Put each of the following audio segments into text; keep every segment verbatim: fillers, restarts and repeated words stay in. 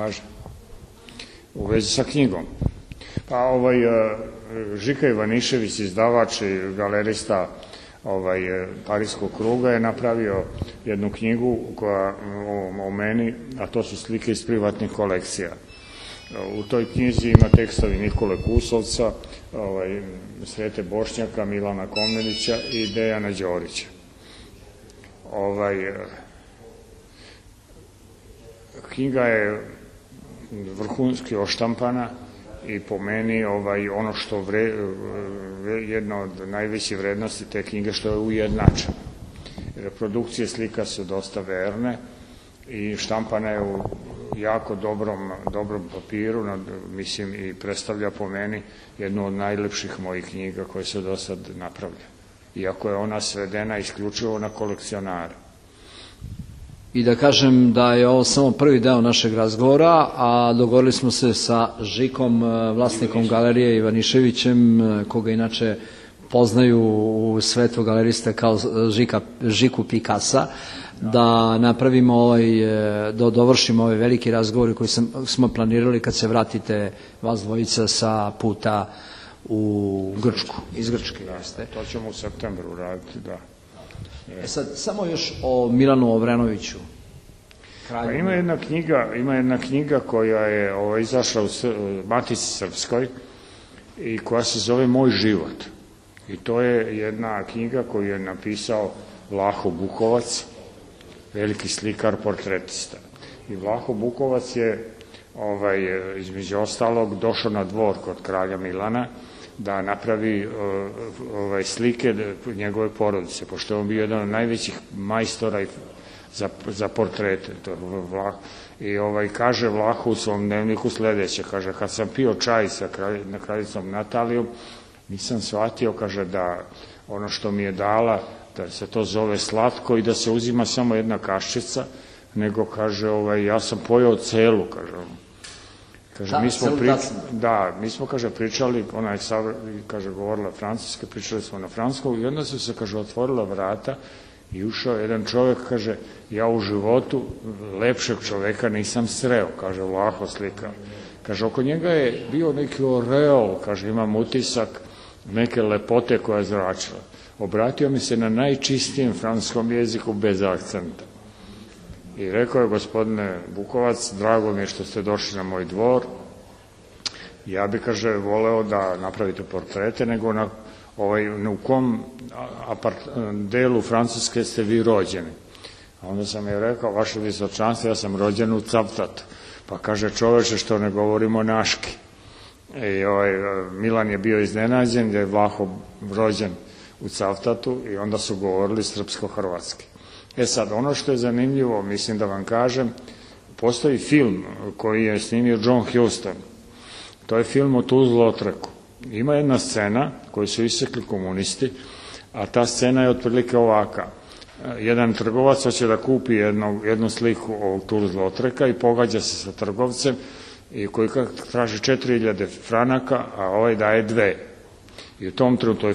kaže, u vezi sa knjigom. Pa ovaj, Žika Ivanišević, izdavač i galerista ovaj, Parijskog kruga, je napravio jednu knjigu koja, o, o meni, a to su slike iz privatnih kolekcija. U toj knjizi ima tekstovi Nikole Kusovca, ovaj, Srete Bošnjaka, Milana Komnenića i Dejana Đorića. Ovaj, knjiga je vrhunski oštampana i po meni ovaj, ono što vre, jedna od najvećih vrednosti te knjige što je ujednačena. Reprodukcije slika su dosta verne i štampana je u jako dobrom, dobrom papiru, mislim, i predstavlja po meni jednu od najlepših mojih knjiga koje su do sad napravljene. Iako je ona svedena isključivo na kolekcionare. I da kažem da je ovo samo prvi deo našeg razgovora, a dogovorili smo se sa Žikom, vlasnikom galerije Ivaniševićem, koga inače poznaju u svetu galeriste kao Žika, Žiku Pikasa, da napravimo ovaj, da dovršimo ovaj veliki razgovor koji sam, smo planirali kad se vratite vas dvojica sa puta u Grčku, iz Grčke. Da, to ćemo u septembru raditi, da. E sad, samo još o Milanu Obrenoviću. Pa ima jedna knjiga, ima jedna knjiga koja je ovo, izašla u Matici Srpskoj i koja se zove Moj život. I to je jedna knjiga koju je napisao Vlaho Bukovac, veliki slikar, portretista. I Vlaho Bukovac je ovaj, između ostalog došao na dvor kod kralja Milana da napravi ovaj, slike njegove porodice, pošto je on bio jedan od najvećih majstora za, za portrete. To, Vlah, I ovaj, kaže Vlaho u svom dnevniku sledeće, kaže, kad sam pio čaj sa kralj, kraljicom Natalijom, nisam shvatio, kaže, da ono što mi je dala, da se to zove slatko i da se uzima samo jedna kaščica, nego, kaže, ovaj, ja sam pojeo celu, kaže, kaže, da, mi smo pri... da, mi smo, kaže, pričali, ona je, kaže, govorila francuske, pričali smo na francuskom i onda su se, kaže, otvorila vrata i ušao jedan čovjek, kaže, ja u životu lepšeg čoveka nisam sreo, kaže, Vlaho slika. Kaže, oko njega je bio neki oreol, kaže, imam utisak neke lepote koja je zračila. Obratio mi se na najčistijem francuskom jeziku bez akcenta. I rekao je, gospodine Bukovac, drago mi je što ste došli na moj dvor. Ja bi, kaže, voleo da napravite portrete, nego na ovaj, u kom apart, delu Francuske ste vi rođeni. A onda sam je rekao, vaše visočanstvo, ja sam rođen u Cavtatu. Pa kaže, čoveče, što ne govorimo naški. I ovaj, Milan je bio iznenađen, da je Vlaho rođen u Cavtatu i onda su govorili srpsko-hrvatski. E sad, ono što je zanimljivo, mislim da vam kažem, postoji film koji je snimio John Huston. To je film o Tuz-Lautrecu. Ima jedna scena koju su isekli komunisti, a ta scena je otprilike ovaka. Jedan trgovac hoće da kupi jednu, jednu sliku ovog Tuz-Lautreca i pogađa se sa trgovcem i koji traži četiri hiljade franaka, a ovaj daje dve. I u tom trenutku, to je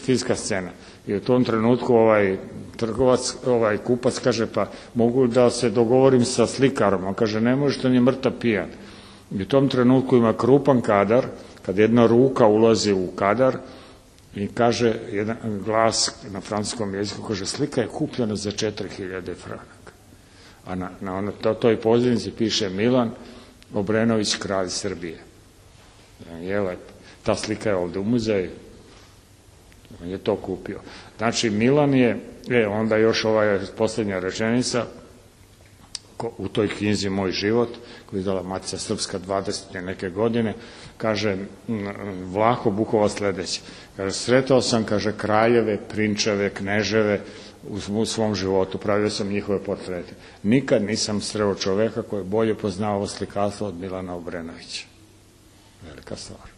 filmska scena, i u tom trenutku ovaj trgovac, ovaj kupac kaže, pa mogu da se dogovorim sa slikarom, on kaže, ne može, on je mrtav pijan. I u tom trenutku ima krupan kadar, kad jedna ruka ulazi u kadar i kaže jedan glas na francuskom jeziku, kaže, slika je kupljena za četiri hiljade franaka. A na, na ono, to, toj pozivnici piše Milan Obrenović, kralj Srbije. Je lepo. Ta slika je ovde u muzeju. On je to kupio. Znači, Milan je, e, onda još ova poslednja rečenica, ko, u toj knjizi Moj život, koju je izdala Matica Srpska dvadesete neke godine, kaže Vlaho Bukovac sledeće. Kaže, sretao sam, kaže, kraljeve, prinčeve, kneževe u svom životu, pravio sam njihove portrete. Nikad nisam sreo čoveka koji je bolje poznao ovo slikarstvo od Milana Obrenovića. Velika stvar.